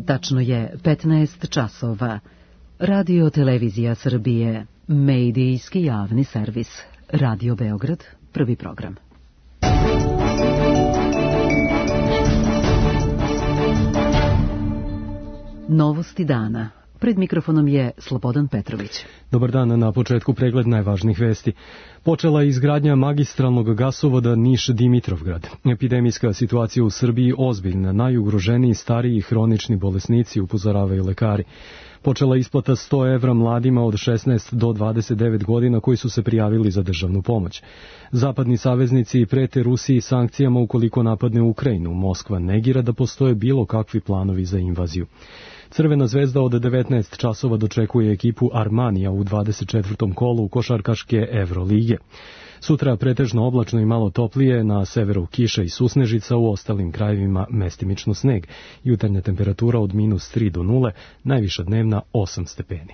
Tačno je 15 časova. Radio Televizija Srbije, medijski javni servis. Radio Beograd, prvi program. Novosti dana. Pred mikrofonom je Slobodan Petrović. Dobar dan, na početku pregled najvažnijih vesti. Počela je izgradnja magistralnog gasovoda Niš-Dimitrovgrad. Epidemijska situacija u Srbiji ozbiljna, najugroženiji stariji hronični bolesnici, upozoravaju lekari. Počela je isplata 100 evra mladima od 16 do 29 godina koji su se prijavili za državnu pomoć. Zapadni saveznici prete Rusiji sankcijama ukoliko napadne Ukrajinu. Moskva negira da postoje bilo kakvi planovi za invaziju. Crvena zvezda od 19 časova dočekuje ekipu Armanija u 24. kolu košarkaške Evrolige. Sutra pretežno oblačno i malo toplije, na severu kiša i susnežica, u ostalim krajevima mestimično sneg. Jutarnja temperatura od -3 do 0, najviša dnevna 8 stepeni.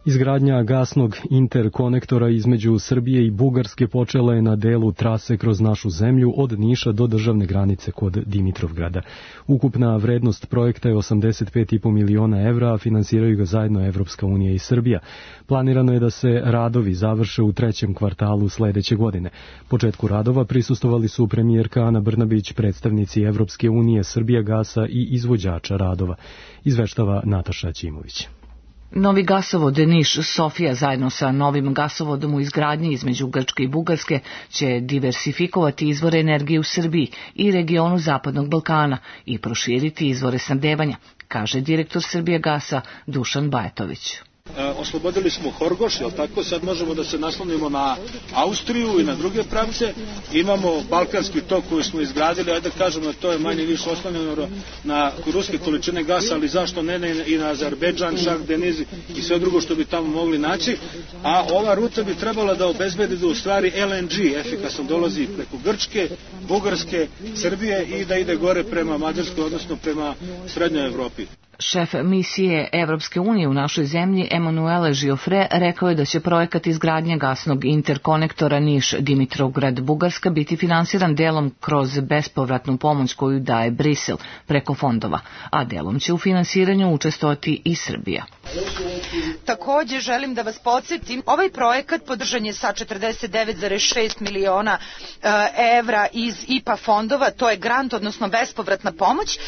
Izgradnja gasnog interkonektora između Srbije i Bugarske počela je na delu trase kroz našu zemlju od Niša do državne granice kod Dimitrovgrada. Ukupna vrednost projekta je 85,5 miliona evra, a finansiraju ga zajedno Evropska unija i Srbija. Planirano je da se radovi završe u 3. kvartalu sledeće godine. Početku radova prisustvovali su premijerka Ana Brnabić, predstavnici Evropske unije, Srbijagasa i izvođača radova. Izveštava Nataša Ćimović. Novi gasovod Niš-Sofija zajedno sa novim gasovodom u izgradnji između Grčke i Bugarske će diversifikovati izvore energije u Srbiji i regionu Zapadnog Balkana i proširiti izvore snabdevanja, kaže direktor Srbijagasa Dušan Bajatović. Oslobodili smo Horgoš, jel tako? Sad možemo da se naslonimo na Austriju i na druge pravce. Imamo Balkanski tok koji smo izgradili, ajde da kažemo da to je manje više oslonjeno na ruske količine gasa, ali zašto ne i na Azerbejdžan, Šah Deniz i sve drugo što bi tamo mogli naći. A ova ruta bi trebala da obezbedi da u stvari LNG efikasno dolazi preko Grčke, Bugarske, Srbije i da ide gore prema Mađarskoj, odnosno prema Srednjoj Evropi. Šef misije Evropske unije u našoj zemlji Emanuele Žiofre rekao je da će projekat izgradnje gasnog interkonektora Niš-Dimitrovgrad-Bugarska biti finansiran delom kroz bespovratnu pomoć koju daje Brisel preko fondova, a delom će u finansiranju učestvovati i Srbija. Takođe želim da vas podsjetim, ovaj projekat podržan je sa 49,6 miliona evra iz IPA fondova, to je grant, odnosno bespovratna pomoć,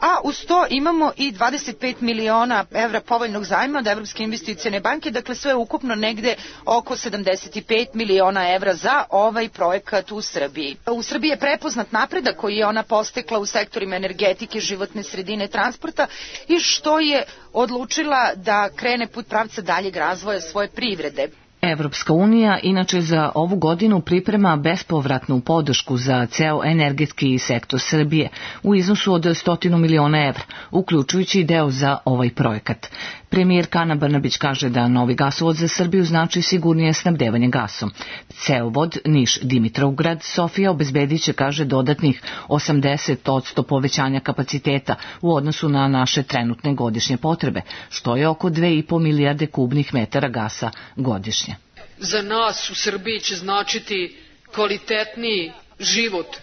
a uz to imamo i 25 miliona evra povoljnog zajma od Evropske investicione banke, dakle sve ukupno negde oko 75 miliona evra za ovaj projekat u Srbiji. U Srbiji je prepoznat napredak koji je ona postekla u sektorima energetike, životne sredine, transporta i što je odlučila da krene put pravca daljeg razvoja svoje privrede. Evropska unija inače za ovu godinu priprema bespovratnu podršku za ceo energetski sektor Srbije u iznosu od 100 miliona evra, uključujući i deo za ovaj projekat. Premijerka Ana Brnabić kaže da novi gasovod za Srbiju znači sigurnije snabdevanje gasom. Cevovod Niš-Dimitrovgrad-Sofija obezbedit će, kaže, dodatnih 80% povećanja kapaciteta u odnosu na naše trenutne godišnje potrebe, što je oko 2,5 milijarde kubnih metara gasa godišnje. Za nas u Srbiji će značiti kvalitetniji život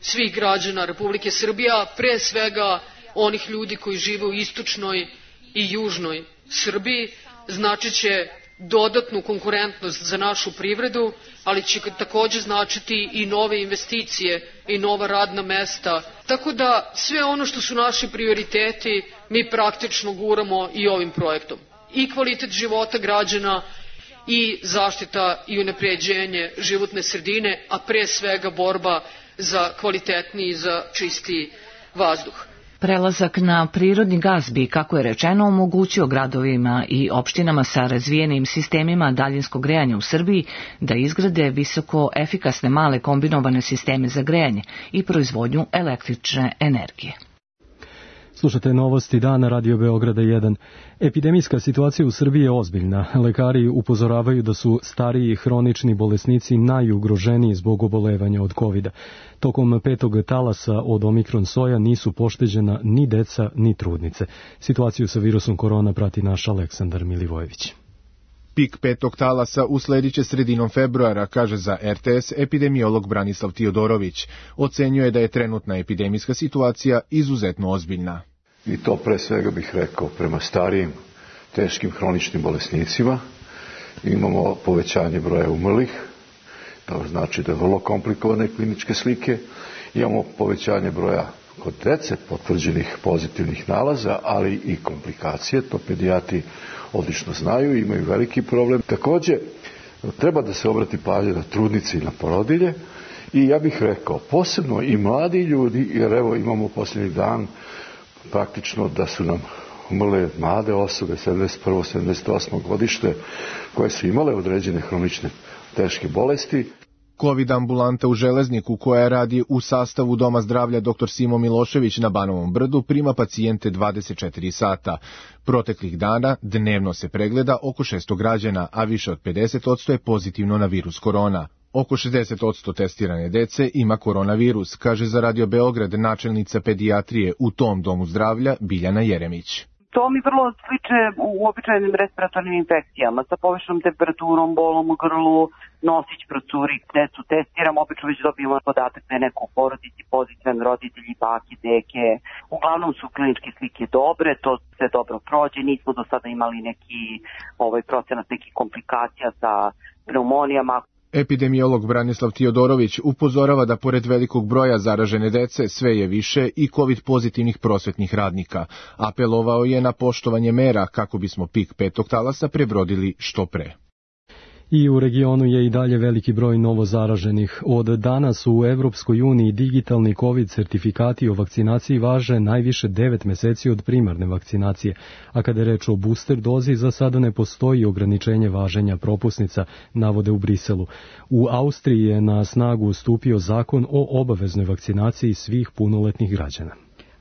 svih građana Republike Srbije, a pre svega onih ljudi koji žive u istočnoj i južnoj Srbiji, znači će dodatnu konkurentnost za našu privredu, ali će takođe značiti i nove investicije i nova radna mesta. Tako da sve ono što su naši prioriteti mi praktično guramo i ovim projektom. I kvalitet života građana i zaštita i unapređenje životne sredine, a pre svega borba za kvalitetniji i za čistiji vazduh. Prelazak na prirodni gas bi, kako je rečeno, omogućio gradovima i opštinama sa razvijenim sistemima daljinskog grejanja u Srbiji da izgrade visoko efikasne male kombinovane sisteme za grejanje i proizvodnju električne energije. Slušate novosti dana Radio Beograda 1. Epidemijska situacija u Srbiji je ozbiljna. Lekari upozoravaju da su stariji hronični bolesnici najugroženiji zbog obolevanja od COVID-a. Tokom 5. talasa od Omikron soja nisu pošteđena ni deca ni trudnice. Situaciju sa virusom korona prati naš Aleksandar Milivojević. Pik petog talasa uslediće sredinom februara, kaže za RTS epidemiolog Branislav Tiodorović. Ocenjuje da je trenutna epidemijska situacija izuzetno ozbiljna. I to pre svega bih rekao prema starijim, teškim hroničnim bolesnicima. Imamo povećanje broja umrlih, to znači da je vrlo komplikovane kliničke slike. Imamo povećanje broja kod dece potvrđenih pozitivnih nalaza, ali i komplikacije, to pedijatri odlično znaju, imaju veliki problem. Takođe, treba da se obrati pažnja na trudnice i na porodilje i ja bih rekao, posebno i mladi ljudi, jer evo imamo posljednji dan praktično da su nam umrle mlade osobe, 71. 78. godište, koje su imale određene hronične teške bolesti. COVID ambulanta u Železniku, koja radi u sastavu Doma zdravlja dr. Simo Milošević na Banovom brdu, prima pacijente 24 sata. Proteklih dana dnevno se pregleda oko 600 građana, a više od 50% je pozitivno na virus korona. Oko 60% testirane dece ima koronavirus, kaže za Radio Beograd načelnica pedijatrije u tom domu zdravlja Biljana Jeremić. To mi vrlo sliče u običajnim respiratornim infekcijama sa povišenom temperaturom, bolom u grlu, nosić procuri, decu testiram, obično već dobijemo podatak da je neko u porodici pozitivan, roditelji, bake, deke. Uglavnom su kliničke slike dobre, to sve dobro prođe, nismo do sada imali neki procenat nekih komplikacija sa pneumonijama. Epidemiolog Branislav Tiodorović upozorava da pored velikog broja zaražene dece sve je više i COVID pozitivnih prosvetnih radnika. Apelovao je na poštovanje mera kako bismo pik petog talasa prebrodili što pre. I u regionu je i dalje veliki broj novozaraženih. Od danas u Evropskoj uniji digitalni COVID sertifikati o vakcinaciji važe najviše 9 meseci od primarne vakcinacije, a kada je reč o booster dozi, za sada ne postoji ograničenje važenja propusnica, navode u Briselu. U Austriji je na snagu stupio zakon o obaveznoj vakcinaciji svih punoletnih građana.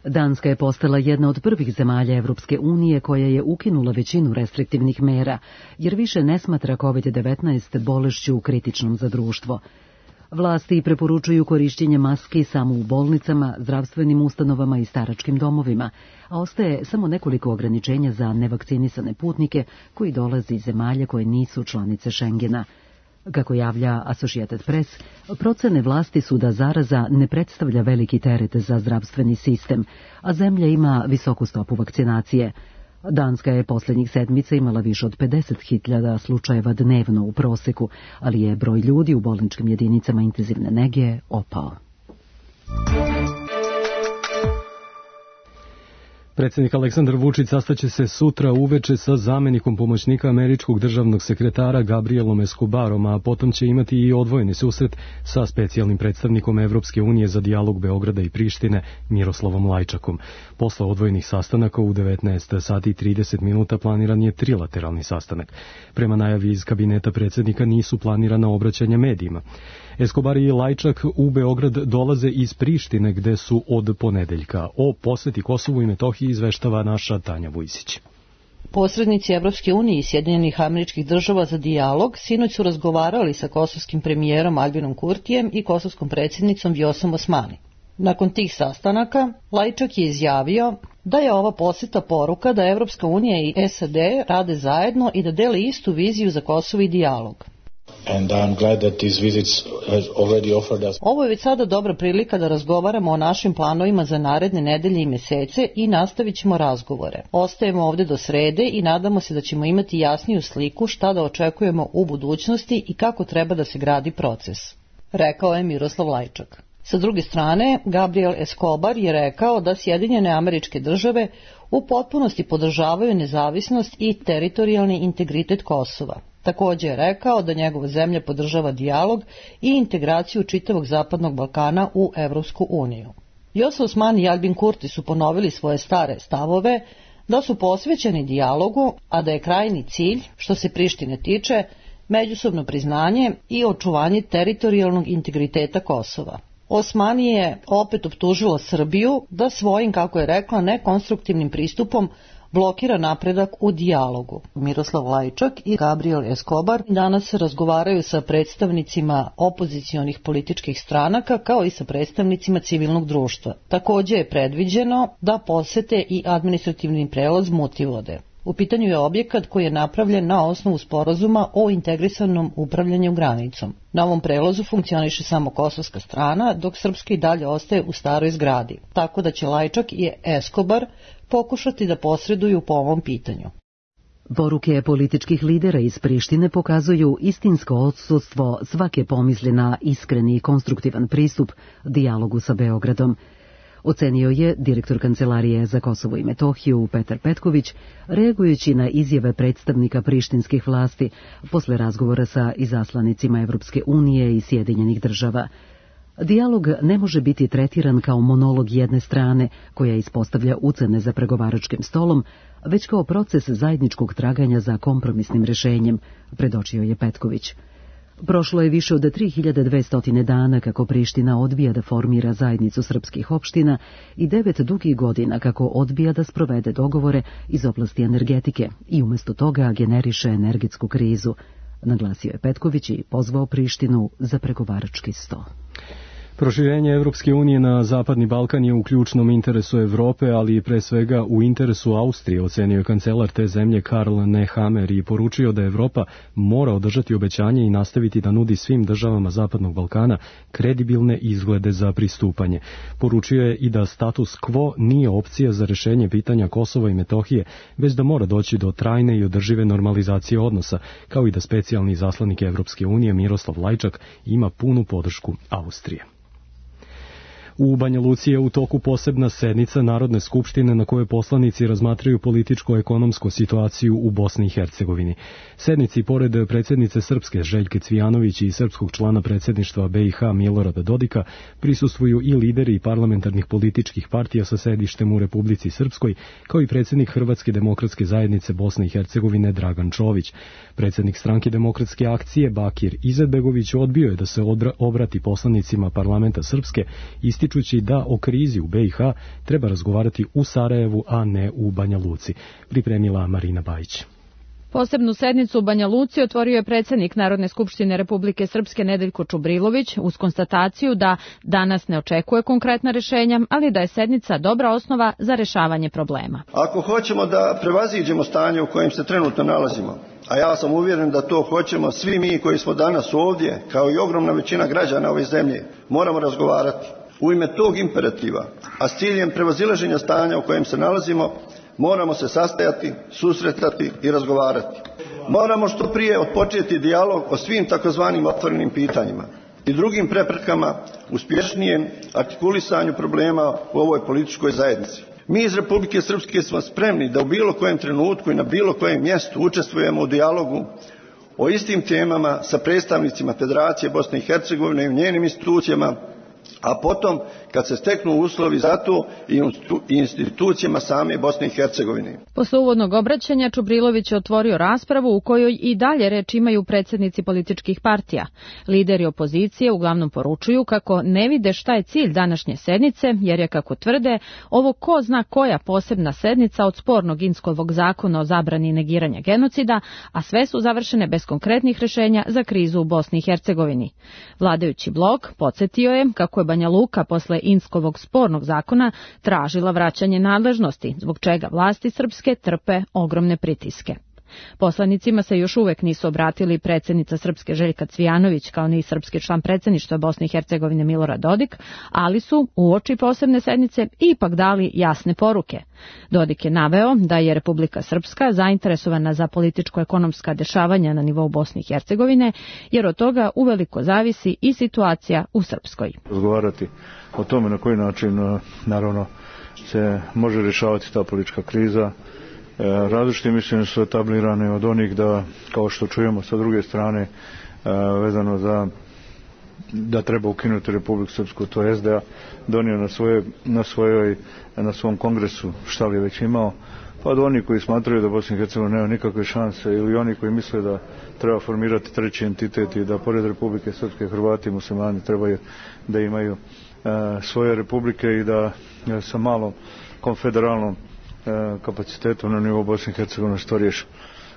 Danska je postala jedna od prvih zemalja Evropske unije koja je ukinula većinu restriktivnih mera, jer više ne smatra COVID-19 bolešću kritičnom za društvo. Vlasti preporučuju korišćenje maski samo u bolnicama, zdravstvenim ustanovama i staračkim domovima, a ostaje samo nekoliko ograničenja za nevakcinisane putnike koji dolaze iz zemalja koje nisu članice Schengena. Kako javlja Associated Press, procene vlasti su da zaraza ne predstavlja veliki teret za zdravstveni sistem, a zemlja ima visoku stopu vakcinacije. Danska je posljednjih sedmica imala više od 50.000 slučajeva dnevno u proseku, ali je broj ljudi u bolničkim jedinicama intenzivne nege opao. Predsjednik Aleksandar Vučić sastaće se sutra uveče sa zamenikom pomoćnika američkog državnog sekretara Gabrielom Escobarom, a potom će imati i odvojeni susret sa specijalnim predstavnikom Evropske unije za dijalog Beograda i Prištine Miroslavom Lajčakom. Posle odvojenih sastanaka u 19 sati i 30 minuta planiran je trilateralni sastanak. Prema najavi iz kabineta predsjednika nisu planirana obraćanja medijima. Escobar i Lajčak u Beograd dolaze iz Prištine, gde su od ponedeljka. O poseti Kosovu i Metohiji izveštava naša Tanja Vujsić. Posrednici Evropske unije i Sjedinjenih Američkih Država za dijalog sinoć su razgovarali sa kosovskim premijerom Albinom Kurtijem i kosovskom predsjednicom Vjosom Osmani. Nakon tih sastanaka, Lajčak je izjavio da je ova poseta poruka da Evropska unija i SAD rade zajedno i da dele istu viziju za Kosovo i dijalog. Ovo je već sada dobra prilika da razgovaramo o našim planovima za naredne nedelje i mesece i nastavit ćemo razgovore. Ostajemo ovde do srede i nadamo se da ćemo imati jasniju sliku šta da očekujemo u budućnosti i kako treba da se gradi proces, rekao je Miroslav Lajčak. Sa druge strane, Gabriel Escobar je rekao da Sjedinjene Američke Države u potpunosti podržavaju nezavisnost i teritorijalni integritet Kosova. Također je rekao da njegova zemlja podržava dijalog i integraciju čitavog Zapadnog Balkana u Evropsku uniju. Vjosa Osmani i Albin Kurti su ponovili svoje stare stavove da su posvećeni dijalogu, a da je krajnji cilj, što se Prištine tiče, međusobno priznanje i očuvanje teritorijalnog integriteta Kosova. Osmani je opet optužila Srbiju da svojim, kako je rekla, nekonstruktivnim pristupom blokira napredak u dijalogu. Miroslav Lajčak i Gabriel Escobar danas razgovaraju sa predstavnicima opozicionih političkih stranaka kao i sa predstavnicima civilnog društva. Također je predviđeno da posete i administrativni prelaz Mutivode. U pitanju je objekat koji je napravljen na osnovu sporazuma o integrisanom upravljanju granicom. Na ovom prelazu funkcioniše samo kosovska strana, dok srpska i dalje ostaje u staroj zgradi, tako da će Lajčak i Escobar pokušati da posreduju po ovom pitanju. Poruke političkih lidera iz Prištine pokazuju istinsko odsustvo svake pomisli na iskreni i konstruktivan pristup dijalogu sa Beogradom. Ocenio je direktor Kancelarije za Kosovo i Metohiju Petar Petković, reagujući na izjave predstavnika prištinskih vlasti posle razgovora sa izaslanicima Evropske unije i Sjedinjenih država. Dijalog ne može biti tretiran kao monolog jedne strane koja ispostavlja ucene za pregovaračkim stolom, već kao proces zajedničkog traganja za kompromisnim rešenjem, predočio je Petković. Prošlo je više od 3200 dana kako Priština odbija da formira zajednicu srpskih opština i 9 dugih godina kako odbija da sprovede dogovore iz oblasti energetike i umjesto toga generiše energetsku krizu, naglasio je Petković i pozvao Prištinu za pregovarački sto. Proširenje Evropske unije na Zapadni Balkan je u ključnom interesu Evrope, ali i pre svega u interesu Austrije, ocenio je kancelar te zemlje Karl Nehammer i poručio da Evropa mora održati obećanje i nastaviti da nudi svim državama Zapadnog Balkana kredibilne izglede za pristupanje. Poručio je i da status quo nije opcija za rešenje pitanja Kosova i Metohije, već da mora doći do trajne i održive normalizacije odnosa, kao i da specijalni izaslanik Evropske unije Miroslav Lajčak ima punu podršku Austrije. U Banja Luci je u toku posebna sednica Narodne skupštine na kojoj poslanici razmatraju političko-ekonomsku situaciju u Bosni i Hercegovini. Sednici, pored predsjednice Srpske Željke Cvijanović i srpskog člana predsjedništva BiH Milorada Dodika, prisustvuju i lideri parlamentarnih političkih partija sa sedištem u Republici Srpskoj, kao i predsjednik Hrvatske demokratske zajednice Bosne i Hercegovine Dragan Čović. Predsjednik Stranke demokratske akcije Bakir Izetbegović odbio je da se obrati poslanicima parlamenta Srpske, ističući da o krizi u BiH treba razgovarati u Sarajevu, a ne u Banja Luci, pripremila Marina Bajić. Posebnu sednicu u Banja Luci otvorio je predsjednik Narodne skupštine Republike Srpske Nedeljko Čubrilović uz konstataciju da danas ne očekuje konkretna rješenja, ali da je sednica dobra osnova za rješavanje problema. Ako hoćemo da prevaziđemo stanje u kojem se trenutno nalazimo, a ja sam uvjeren da to hoćemo svi mi koji smo danas ovdje, kao i ogromna većina građana ove zemlje, moramo razgovarati. U ime tog imperativa, a s ciljem prevazilaženja stanja u kojem se nalazimo, moramo se sastajati, susretati i razgovarati. Moramo što prije otpočeti dijalog o svim takozvanim otvorenim pitanjima i drugim preprekama uspješnijem artikulisanju problema u ovoj političkoj zajednici. Mi iz Republike Srpske smo spremni da u bilo kojem trenutku i na bilo kojem mjestu učestvujemo u dijalogu o istim temama sa predstavnicima Federacije Bosne i Hercegovine i u njenim institucijama, a potom kad se steknu uslovi za to i institucijama same Bosne i Hercegovine. Posle uvodnog obraćanja Čubrilović je otvorio raspravu u kojoj i dalje reč imaju predsjednici političkih partija. Lideri opozicije uglavnom poručuju kako ne vide šta je cilj današnje sednice, jer je, kako tvrde, ovo ko zna koja posebna sednica od spornog Inskovog zakona o zabrani negiranja genocida, a sve su završene bez konkretnih rješenja za krizu u Bosni i Hercegovini. Vladajući blok podsjetio je kako je Banja Luka posle Inskovog spornog zakona tražila vraćanje nadležnosti, zbog čega vlasti srpske trpe ogromne pritiske. Poslanicima se još uvek nisu obratili predsjednica Srpske Željka Cvijanović kao ni srpski član predsjedništva Bosne i Hercegovine Milorad Dodik, ali su uoči posebne sednice ipak dali jasne poruke. Dodik je naveo da je Republika Srpska zainteresovana za političko-ekonomska dešavanja na nivou Bosne i Hercegovine, jer od toga uveliko zavisi i situacija u Srpskoj. Razgovarati o tome na koji način naravno se može rješavati ta politička kriza. Različite mišljenja su etablirane od onih da, kao što čujemo sa druge strane, vezano za da treba ukinuti Republiku Srpsku, to je SDA donio na svom kongresu, šta li je već imao, pa do oni koji smatraju da Bosna i Hercegovina nema nikakve šanse, ili oni koji misle da treba formirati treći entitet i da pored Republike Srpske Hrvati i muslimani trebaju da imaju svoje republike i da sa malom konfederalnom kapacitetom na nivou Bosne i Hercegovine što riješi.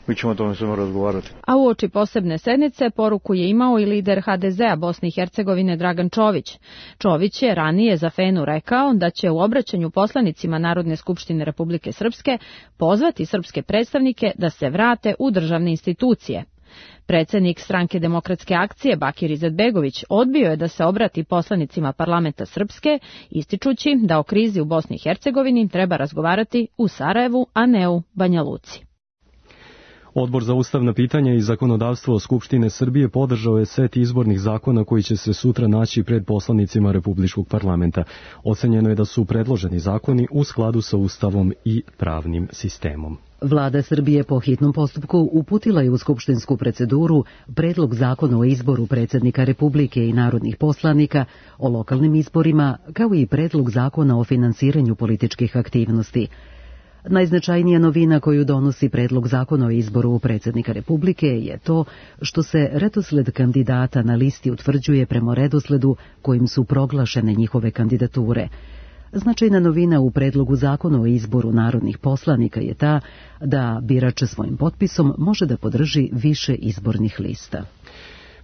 mi ćemo o tome svemu razgovarati. A uoči posebne sednice poruku je imao i lider HDZ-a Bosne i Hercegovine Dragan Čović. Čović je ranije za Fenu rekao da će u obraćanju poslanicima Narodne skupštine Republike Srpske pozvati srpske predstavnike da se vrate u državne institucije. Predsednik Stranke demokratske akcije Bakir Izetbegović odbio je da se obrati poslanicima parlamenta Srpske, ističući da o krizi u Bosni i Hercegovini treba razgovarati u Sarajevu, a ne u Banja Luci. Odbor za ustavna pitanja i zakonodavstvo Skupštine Srbije podržao je set izbornih zakona koji će se sutra naći pred poslanicima Republičkog parlamenta. Ocenjeno je da su predloženi zakoni u skladu sa Ustavom i pravnim sistemom. Vlada Srbije po hitnom postupku uputila je u skupštinsku proceduru predlog zakona o izboru predsjednika Republike i narodnih poslanika, o lokalnim izborima, kao i predlog zakona o finansiranju političkih aktivnosti. Najznačajnija novina koju donosi predlog zakona o izboru predsjednika Republike je to što se redosled kandidata na listi utvrđuje prema redosledu kojim su proglašene njihove kandidature. Značajna novina u predlogu zakona o izboru narodnih poslanika je ta da birač svojim potpisom može da podrži više izbornih lista.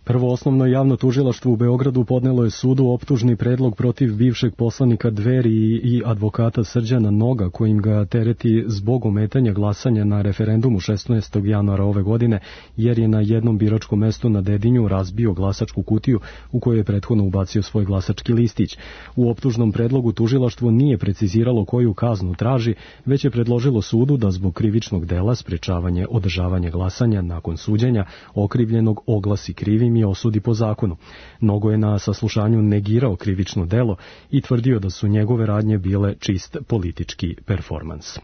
Prvo osnovno javno tužilaštvo u Beogradu podnelo je sudu optužni predlog protiv bivšeg poslanika Dveri i advokata Srđana Noga, kojim ga tereti zbog ometanja glasanja na referendumu 16. januara ove godine, jer je na jednom biračkom mestu na Dedinju razbio glasačku kutiju u kojoj je prethodno ubacio svoj glasački listić. U optužnom predlogu tužilaštvo nije preciziralo koju kaznu traži, već je predložilo sudu da zbog krivičnog dela sprečavanje održavanja glasanja nakon suđenja okrivljenog oglasi krivim i osudi po zakonu. Nogo je na saslušanju negirao krivično delo i tvrdio da su njegove radnje bile čist politički performans.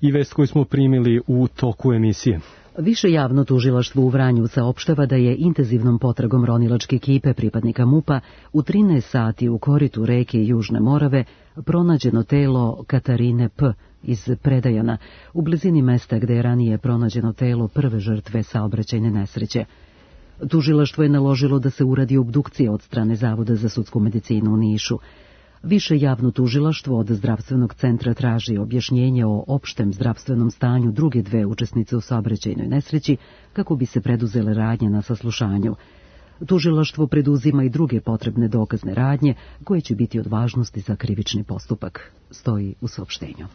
I vest koju smo primili u toku emisije. Više javno tužilaštvo u Vranju saopštava da je intenzivnom potragom ronilačke ekipe pripadnika MUP-a u 13 sati u koritu reke Južne Morave pronađeno telo Katarine P. iz Predajana, u blizini mesta gde je ranije pronađeno telo prve žrtve saobraćajne nesreće. Tužilaštvo je naložilo da se uradi obdukcija od strane Zavoda za sudsku medicinu u Nišu. Više javno tužilaštvo od zdravstvenog centra traži objašnjenje o opštem zdravstvenom stanju druge dve učesnice u saobraćajnoj nesreći kako bi se preduzele radnje na saslušanju. Tužilaštvo preduzima i druge potrebne dokazne radnje koje će biti od važnosti za krivični postupak, stoji u saopštenju.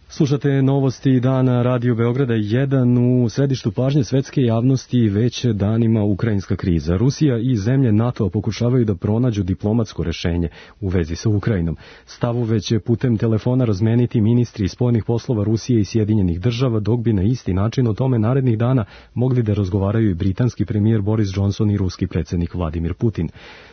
Slušate novosti dana Radio Beograda 1. U središtu pažnje svetske javnosti već danima ukrajinska kriza. Rusija i zemlje NATO pokušavaju da pronađu diplomatsko rešenje u vezi sa Ukrajinom. Stavove će putem telefona razmeniti ministri spoljnih poslova Rusije i Sjedinjenih država, dok bi na isti način o tome narednih dana mogli da razgovaraju i britanski premijer Boris Johnson i ruski predsjednik Vladimir Putin.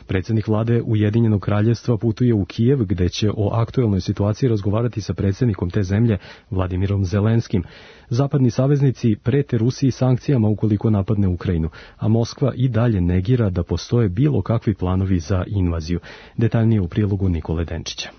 Predsjednik vlade Ujedinjenog kraljevstva putuje u Kijev, gde će o aktuelnoj situaciji razgovarati sa predsjednikom te zemlje Vladimirom Zelenskim. Zapadni saveznici prete Rusiji sankcijama ukoliko napadne Ukrajinu, a Moskva i dalje negira da postoje bilo kakvi planovi za invaziju. Detaljnije u prilogu Nikole Denčića.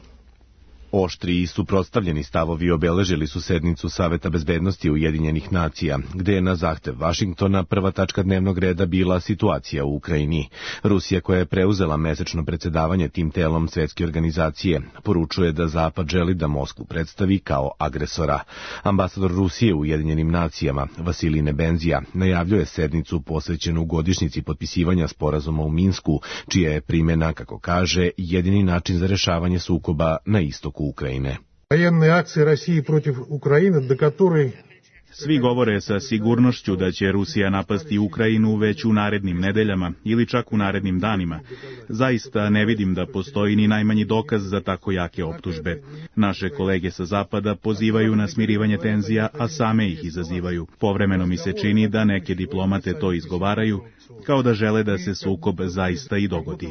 Oštri i suprotstavljeni stavovi obeležili su sednicu Saveta bezbednosti Ujedinjenih nacija, gde je na zahtev Vašingtona prva tačka dnevnog reda bila situacija u Ukrajini. Rusija, koja je preuzela mesečno predsjedavanje tim telom svetske organizacije, poručuje da Zapad želi da Moskvu predstavi kao agresora. Ambasador Rusije u Ujedinjenim nacijama, Vasilij Nebenzija, najavljuje sednicu posvećenu godišnjici potpisivanja sporazuma u Minsku, čija je primjena, kako kaže, jedini način za rešavanje sukoba na istoku Ukrajine. Военные акции России против Украины, до которой Svi govore sa sigurnošću da će Rusija napasti Ukrajinu već u narednim nedeljama ili čak u narednim danima. Zaista ne vidim da postoji ni najmanji dokaz za tako jake optužbe. Naše kolege sa Zapada pozivaju na smirivanje tenzija, a same ih izazivaju. Povremeno mi se čini da neke diplomate to izgovaraju, kao da žele da se sukob zaista i dogodi.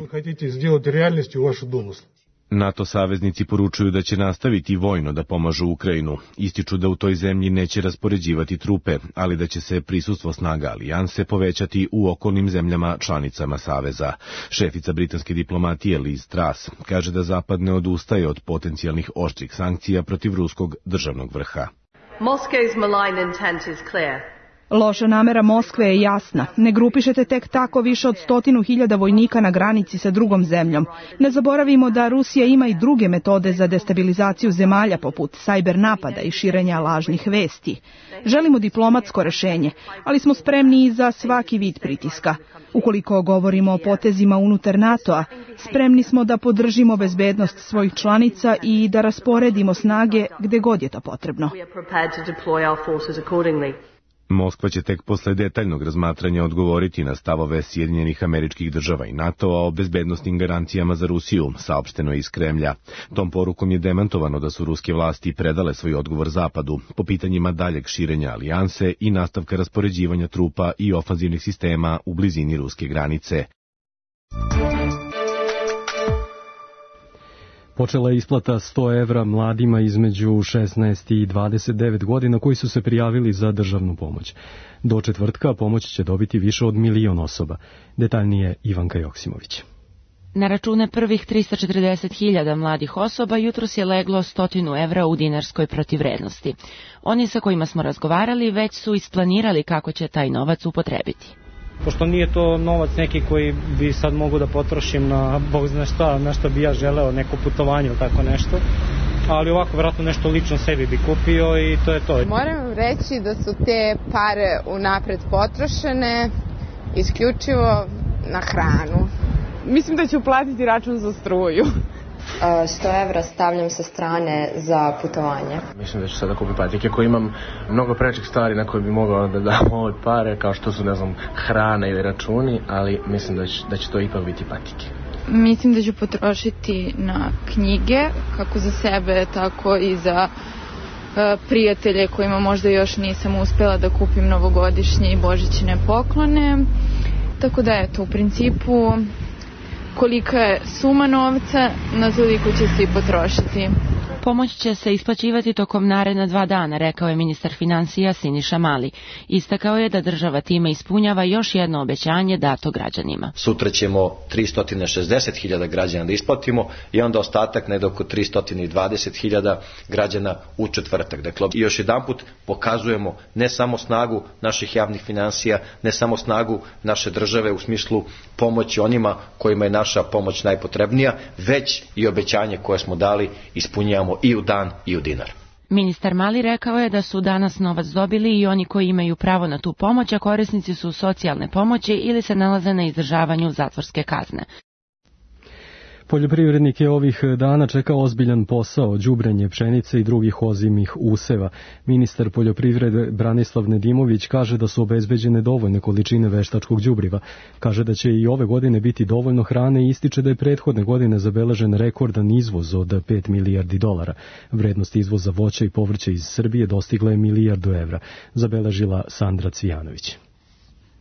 NATO saveznici poručuju da će nastaviti vojno da pomažu Ukrajinu. Ističu da u toj zemlji neće raspoređivati trupe, ali da će se prisustvo snaga alijanse povećati u okolnim zemljama članicama saveza. Šefica britanske diplomatije Liz Truss kaže da Zapad ne odustaje od potencijalnih oštrih sankcija protiv ruskog državnog vrha. Moscow's malign intent is clear. Loša namera Moskve je jasna. Ne grupišete tek tako više od 100.000 vojnika na granici sa drugom zemljom. Ne zaboravimo da Rusija ima i druge metode za destabilizaciju zemalja poput sajber napada i širenja lažnih vesti. Želimo diplomatsko rešenje, ali smo spremni i za svaki vid pritiska. Ukoliko govorimo o potezima unutar NATO-a, spremni smo da podržimo bezbednost svojih članica i da rasporedimo snage gde god je to potrebno. Moskva će tek posle detaljnog razmatranja odgovoriti na stavove Sjedinjenih Američkih Država i NATO-a o bezbednosnim garancijama za Rusiju, saopšteno je iz Kremlja. Tom porukom je demantovano da su ruske vlasti predale svoj odgovor Zapadu po pitanjima daljeg širenja alijanse i nastavka raspoređivanja trupa i ofanzivnih sistema u blizini ruske granice. Počela je isplata 100 evra mladima između 16 i 29 godina koji su se prijavili za državnu pomoć. Do četvrtka pomoć će dobiti više od 1 milion osoba. Detaljnije Ivanka Joksimović. Na račune prvih 340.000 mladih osoba jutros je leglo 100 evra u dinarskoj protivvrednosti. Oni sa kojima smo razgovarali već su isplanirali kako će taj novac upotrebiti. Pošto nije to novac neki koji bi sad mogu da potrošim na bog zna šta, na što bi ja želeo, neko putovanje ili tako nešto, ali ovako vjerojatno nešto lično sebi bi kupio i to je to. Moram reći da su te pare unapred potrošene isključivo na hranu. Mislim da ću platiti račun za struju. 100 evra stavljam sa strane za putovanje. Mislim da ću sada kupiti patike koji imam mnogo prečih stvari na koje bi mogao da dam ove pare, kao što su, ne znam, hrana ili računi, ali mislim da će to ipak biti patike. Mislim da ću potrošiti na knjige, kako za sebe, tako i za prijatelje kojima možda još nisam uspela da kupim novogodišnje i božićne poklone. Tako da eto, u principu kolika je suma novca, na toliko će se i potrošiti. Pomoć će se isplaćivati tokom naredna 2 dana, rekao je ministar finansija Siniša Mali. Istakao je da država time ispunjava još jedno obećanje dato građanima. Sutra ćemo 360.000 građana da isplatimo i onda ostatak negde oko 320.000 građana u četvrtak. Dakle, još jedanput pokazujemo ne samo snagu naših javnih finansija, ne samo snagu naše države u smislu pomoći onima kojima je naša pomoć najpotrebnija, već i obećanje koje smo dali ispunjavamo i u dan i u dinar. Ministar Mali rekao je da su danas novac dobili i oni koji imaju pravo na tu pomoć, a korisnici su socijalne pomoći ili se nalaze na izdržavanju zatvorske kazne. Poljoprivrednike ovih dana čeka ozbiljan posao, đubrenje pšenice i drugih ozimih useva. Ministar poljoprivrede Branislav Nedimović kaže da su obezbeđene dovoljne količine veštačkog đubriva. Kaže da će i ove godine biti dovoljno hrane i ističe da je prethodne godine zabeležen rekordan izvoz od 5 milijardi dolara. Vrednost izvoza voća i povrća iz Srbije dostigla je 1 milijardu evra, zabeležila Sandra Cvijanović.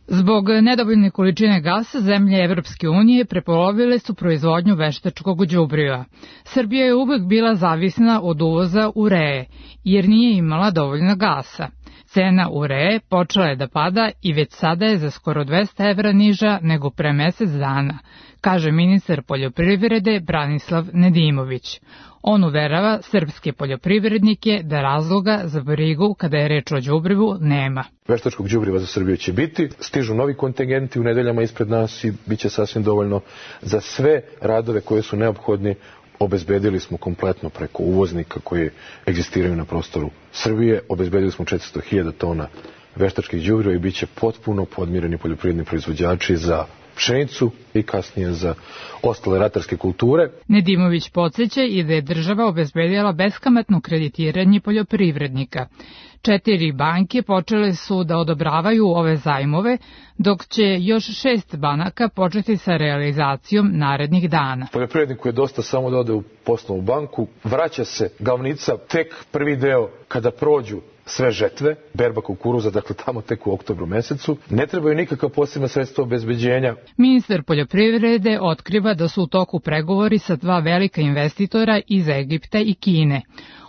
Zbog nedovoljne količine gasa, zemlje Evropske unije prepolovile su proizvodnju veštačkog đubriva. Srbija je uvek bila zavisna od uvoza ureje, jer nije imala dovoljno gasa. Cena ureje počela je da pada i već sada je za skoro 200 evra niža nego pre mesec dana, kaže ministar poljoprivrede Branislav Nedimović. On uverava srpske poljoprivrednike da razloga za brigu kada je reč o đubrivu nema. Veštačkog đubriva za Srbiju će biti, stižu novi kontingenti u nedeljama ispred nas i bit će sasvim dovoljno za sve radove koje su neophodni. Obezbedili smo kompletno preko uvoznika koji egzistiraju na prostoru Srbije, obezbedili smo 400.000 tona veštačkih đubriva i bit će potpuno podmireni poljoprivredni proizvođači za pšenicu i kasnije za ostale ratarske kulture. Nedimović podsjeća i da je država obezbedila beskamatno kreditiranje poljoprivrednika. 4 banke počele su da odobravaju ove zajmove, dok će još 6 banaka početi sa realizacijom narednih dana. Poljoprivredniku je dosta samo da ode u poslovnu banku, vraća se glavnica tek prvi deo kada prođu sve žetve, berba kukuruza, dakle tamo tek u oktobru mesecu. Ne trebaju nikakva posebna sredstva obezbeđenja. Ministar poljoprivrede otkriva da su u toku pregovori sa 2 velika investitora iz Egipta i Kine.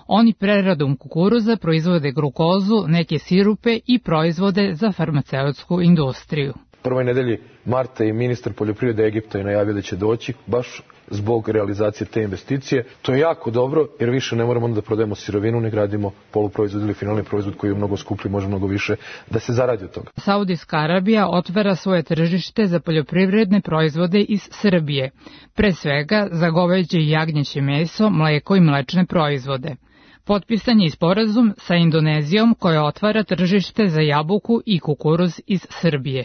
Oni preradom kukuruza proizvode glukozu, neke sirupe i proizvode za farmaceutsku industriju. prvoj nedelji marta i ministar poljoprivrede Egipta je najavio da će doći baš zbog realizacije te investicije. To je jako dobro jer više ne moramo onda da prodajemo sirovinu, ne gradimo poluproizvod ili finalni proizvod koji je mnogo skuplji, može mnogo više da se zaradi od toga. Saudijska Arabija otvara svoje tržište za poljoprivredne proizvode iz Srbije, pre svega za goveđe i jagnjeće meso, mleko i mlečne proizvode. Potpisan je i sporazum sa Indonezijom koja otvara tržište za jabuku i kukuruz iz Srbije.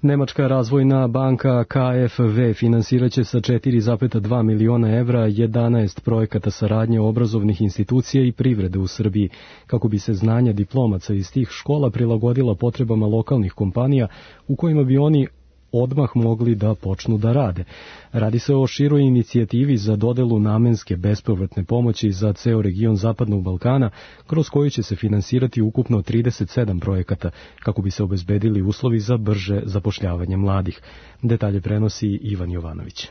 Nemačka razvojna banka KfW finansiraće sa 4,2 miliona evra 11 projekata saradnje obrazovnih institucija i privrede u Srbiji, kako bi se znanja diplomaca iz tih škola prilagodila potrebama lokalnih kompanija u kojima bi oni odmah mogli da počnu da rade. Radi se o široj inicijativi za dodelu namenske bespovratne pomoći za ceo region Zapadnog Balkana, kroz koju će se finansirati ukupno 37 projekata, kako bi se obezbedili uslovi za brže zapošljavanje mladih. Detalje prenosi Ivan Jovanović.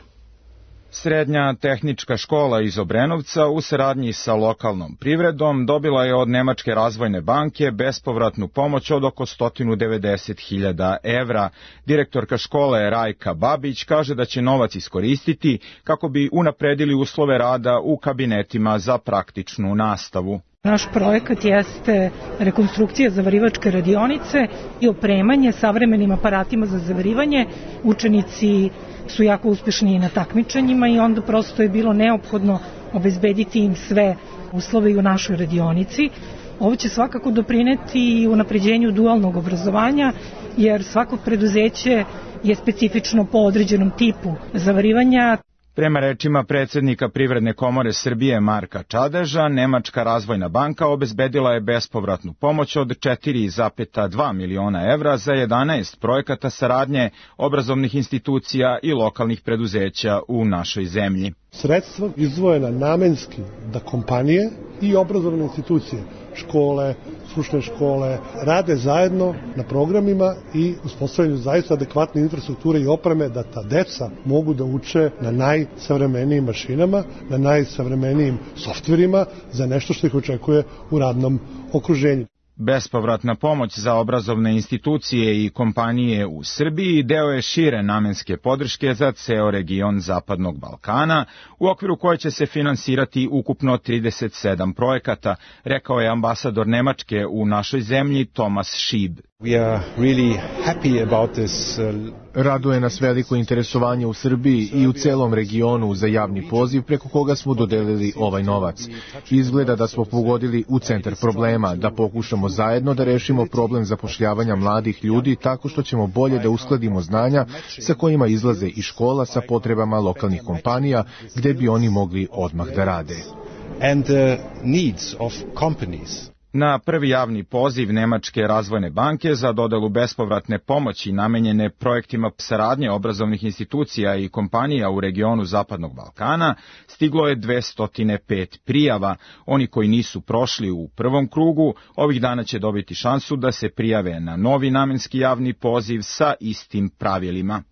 Srednja tehnička škola iz Obrenovca u saradnji sa lokalnom privredom dobila je od Nemačke razvojne banke bespovratnu pomoć od oko 190.000 evra. Direktorka škole Rajka Babić kaže da će novac iskoristiti kako bi unapredili uslove rada u kabinetima za praktičnu nastavu. Naš projekat jeste rekonstrukcija zavarivačke radionice i opremanje savremenim aparatima za zavarivanje. Učenici su jako uspešni na takmičenjima i onda prosto je bilo neophodno obezbediti im sve uslove i u našoj radionici. Ovo će svakako doprineti i unapređenju dualnog obrazovanja, jer svako preduzeće je specifično po određenom tipu zavarivanja. Prema rečima predsjednika Privredne komore Srbije Marka Čadeža, Nemačka razvojna banka obezbedila je bespovratnu pomoć od 4,2 miliona evra za 11 projekata saradnje obrazovnih institucija i lokalnih preduzeća u našoj zemlji. Sredstva izdvojena namenski da kompanije i obrazovne institucije, škole, stručne škole, rade zajedno na programima i uspostavljanju zaista adekvatne infrastrukture i opreme da ta deca mogu da uče na najsavremenijim mašinama, na najsavremenijim softverima za nešto što ih očekuje u radnom okruženju. Bespovratna pomoć za obrazovne institucije i kompanije u Srbiji deo je šire namenske podrške za ceo region Zapadnog Balkana, u okviru koje će se finansirati ukupno 37 projekata, rekao je ambasador Nemačke u našoj zemlji Tomas Šib. Raduje nas veliko interesovanje u Srbiji i u celom regionu za javni poziv preko koga smo dodelili ovaj novac. Izgleda da smo pogodili u centar problema, da pokušamo zajedno da rešimo problem zapošljavanja mladih ljudi tako što ćemo bolje da uskladimo znanja sa kojima izlaze iz škola sa potrebama lokalnih kompanija gde bi oni mogli odmah da rade. Na prvi javni poziv Nemačke razvojne banke za dodelu bespovratne pomoći namenjene projektima saradnje obrazovnih institucija i kompanija u regionu Zapadnog Balkana stiglo je 205 prijava. Oni koji nisu prošli u prvom krugu ovih dana će dobiti šansu da se prijave na novi namenski javni poziv sa istim pravilima.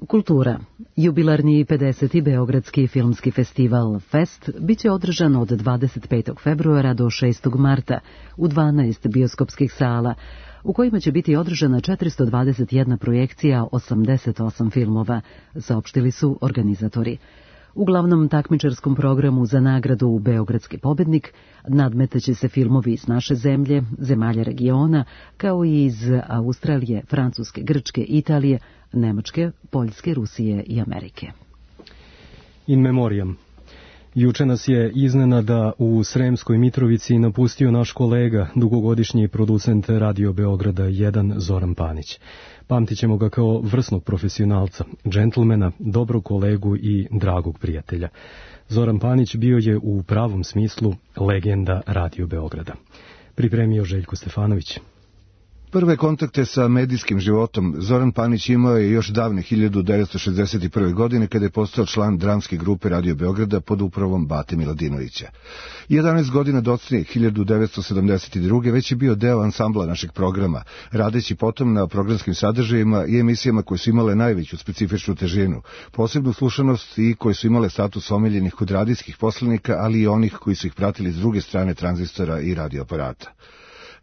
Kultura. Jubilarni 50. Beogradski filmski festival Fest biće održan od 25. februara do 6. marta u 12 bioskopskih sala, u kojima će biti održana 421 projekcija 88 filmova, saopštili su organizatori. U glavnom takmičarskom programu za nagradu Beogradski pobednik nadmetaće se filmovi iz naše zemlje, zemalja regiona, kao i iz Australije, Francuske, Grčke, Italije, Nemačke, Poljske, Rusije i Amerike. In memoriam. Juče nas je iznenada u Sremskoj Mitrovici napustio naš kolega, dugogodišnji producent Radio Beograda 1 Zoran Panić. Pamtit ćemo ga kao vrsnog profesionalca, džentlmena, dobrog kolegu i dragog prijatelja. Zoran Panić bio je u pravom smislu legenda Radio Beograda. Pripremio Željko Stefanović. Prve kontakte sa medijskim životom Zoran Panić imao je još davne 1961. godine kada je postao član dramske grupe Radio Beograda pod upravom Bate Miladinovića. 11 godina docnije 1972. već je bio deo ansambla našeg programa, radeći potom na programskim sadržajima i emisijama koje su imale najveću specifičnu težinu, posebnu slušanost i koje su imale status omiljenih kod radijskih poslanika, ali i onih koji su ih pratili s druge strane tranzistora i radioaparata.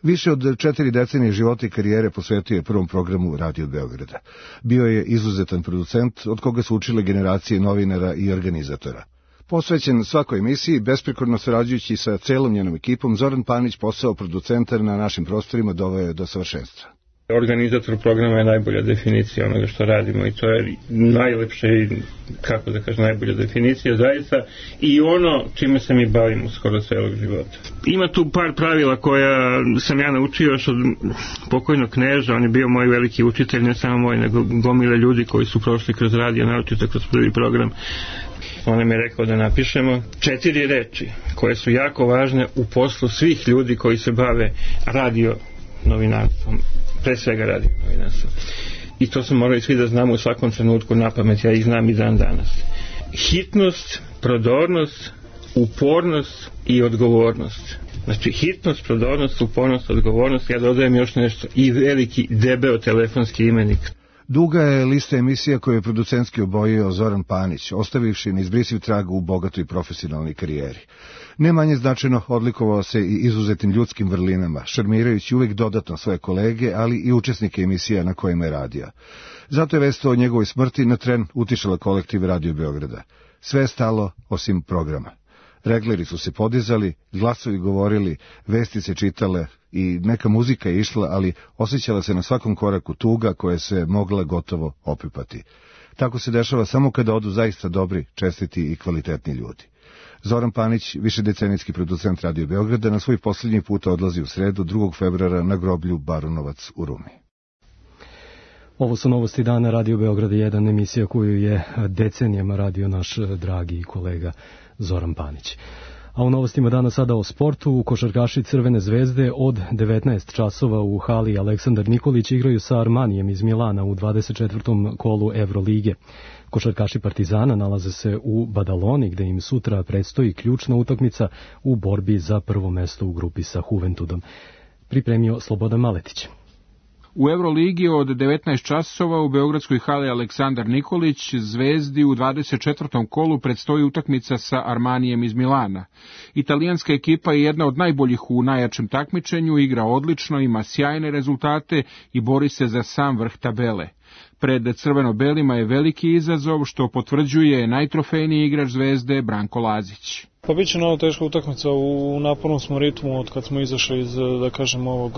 Više od 4 decenije života i karijere posvetio je prvom programu Radio Beograda. Bio je izuzetan producent od koga su učile generacije novinara i organizatora. Posvećen svakoj emisiji, besprekorno sarađujući sa celom njenom ekipom, Zoran Panić posao producenta na našim prostorima doveo je do savršenstva. Organizator programa je najbolja definicija onoga što radimo i to je najlepša i, kako da kažem, najbolja definicija zaista i ono čime se mi bavimo skoro celog života. Ima tu par pravila koja sam ja naučio još od pokojnog Kneža, on je bio moj veliki učitelj, ne samo moj, nego gomile ljudi koji su prošli kroz radio, naročito kroz prvi program. On nam je rekao da napišemo 4 reči koje su jako važne u poslu svih ljudi koji se bave radio novinarstvom, pre svega radio novinarstvom. I to smo morali svi da znamo u svakom trenutku na pamet, ja ih znam i dan danas. Hitnost, prodornost, upornost i odgovornost. Znači hitnost, prodornost, upornost, odgovornost, ja dodajem još nešto, i veliki debeo telefonski imenik. Duga je lista emisija koju je producentski obojio Zoran Panić, ostavivši neizbrisiv trag u bogatoj profesionalnoj karijeri. Ne manje značajno odlikovao se i izuzetnim ljudskim vrlinama, šarmirajući uvijek dodatno svoje kolege, ali i učesnike emisija na kojima je radio. Zato je vest o njegovoj smrti na tren utišala kolektiv Radio Beograda. Sve je stalo osim programa. Regleri su se podizali, glasovi govorili, vesti se čitale i neka muzika je išla, ali osjećala se na svakom koraku tuga koja se mogla gotovo opipati. Tako se dešava samo kada odu zaista dobri, čestiti i kvalitetni ljudi. Zoran Panić, višedecenijski producent Radio Beograda, na svoj posljednji put odlazi u sredu 2. februara na groblju Barunovac u Rumi. Ovo su novosti dana Radio Beograda 1, emisija koju je decenijama radio naš dragi kolega Zoran Panić. A u novostima dana sada o sportu, košarkaši Crvene zvezde od 19 časova u hali Aleksandar Nikolić igraju sa Armanijem iz Milana u 24. kolu Evrolige. Košarkaši Partizana nalaze se u Badaloni, gde im sutra predstoji ključna utakmica u borbi za prvo mesto u grupi sa Juventudom. Pripremio Slobodan Maletić. U Euroligi od 19 časova u beogradskoj hali Aleksandar Nikolić Zvezdi u 24. kolu predstoji utakmica sa Armanijem iz Milana. Italijanska ekipa je jedna od najboljih u najjačem takmičenju, igra odlično, ima sjajne rezultate i bori se za sam vrh tabele. Pred crveno-belima je veliki izazov, što potvrđuje najtrofejniji igrač Zvezde Branko Lazić. Pa biće novo teška utakmica, u napornom smo ritmu od kad smo izašli iz, da kažem, ovog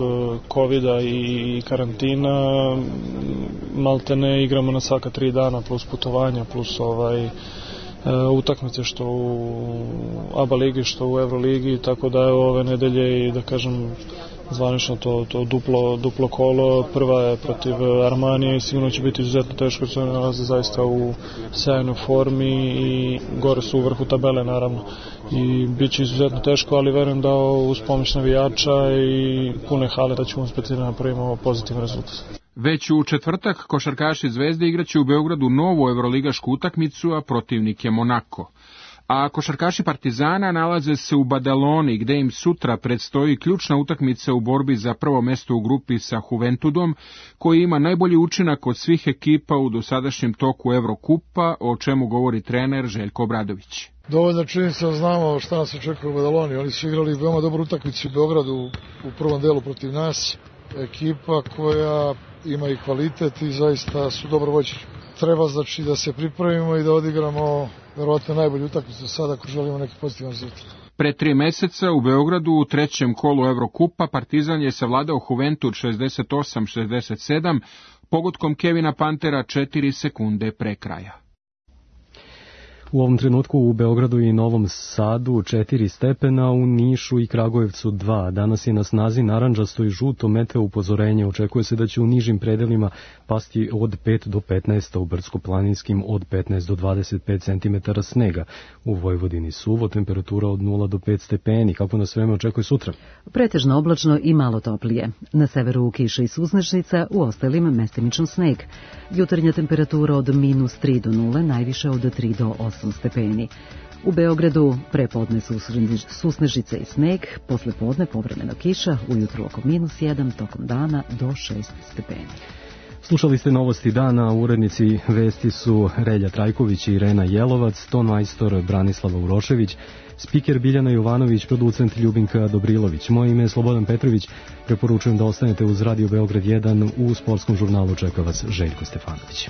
covida i karantina. Maltene igramo na svaka 3 dana plus putovanja plus utakmice što u ABA ligi što u Euroligi, tako da je ove nedelje i, da kažem, zvanično to duplo kolo. Prva je protiv Armanije i sigurno će biti izuzetno teško, jer se nalaze zaista u sjajnoj formi i gore su u vrhu tabele, naravno. I bit će izuzetno teško, ali verujem da uz pomoć navijača i pune hale da ćemo uspjeti da napravimo pozitivan rezultat. Već u četvrtak košarkaši Zvezde igraće u Beogradu novu evroligašku utakmicu, a protivnik je Monako. A košarkaši Partizana nalaze se u Badaloni, gde im sutra predstoji ključna utakmica u borbi za prvo mesto u grupi sa Juventudom, koji ima najbolji učinak od svih ekipa u dosadašnjem toku Evrokupa, o čemu govori trener Željko Obradović. Dovoljno činjenica znamo šta nas očekuje u Badaloni. Oni su igrali veoma dobru utakmicu u Beogradu u prvom delu protiv nas. Ekipa koja ima i kvalitet i zaista su dobro vođeni. Treba znači da se pripremimo i da odigramo verovatno najbolju utakmicu sada ako želimo neki pozitivan rezultat. Pre 3 meseca u Beogradu u trećem kolu Evrokupa Partizan je savladao Juventud 68-67 pogodkom Kevina Pantera 4 sekunde pre kraja. U ovom trenutku u Beogradu i Novom Sadu 4 stepena, u Nišu i Kragujevcu 2. Danas je na snazi narandžasto i žuto meteo upozorenje. Očekuje se da će u nižim predelima pasti od 5 do 15, u brdsko-planinskim od 15 do 25 cm snega. U Vojvodini suvo, temperatura od 0 do 5 stepeni. Kako nas vreme očekuje sutra? Pretežno oblačno i malo toplije. Na severu kiša i susnežnica, u ostalim mestimično sneg. Jutarnja temperatura od -3 do 0, najviše od 3 do 8 stepeni. U Beogradu prepodne susnežice i sneg, posle podne povremeno kiša, ujutru oko -1, tokom dana do 6 stepeni. Slušali ste novosti dana, urednici vesti su Relja Trajković i Irena Jelovac, ton majstor Branislava Urošević, spiker Biljana Jovanović, producent Ljubinka Dobrilović. Moje ime je Slobodan Petrović, preporučujem da ostanete uz Radio Beograd 1, u sportskom žurnalu čeka vas Željko Stefanović.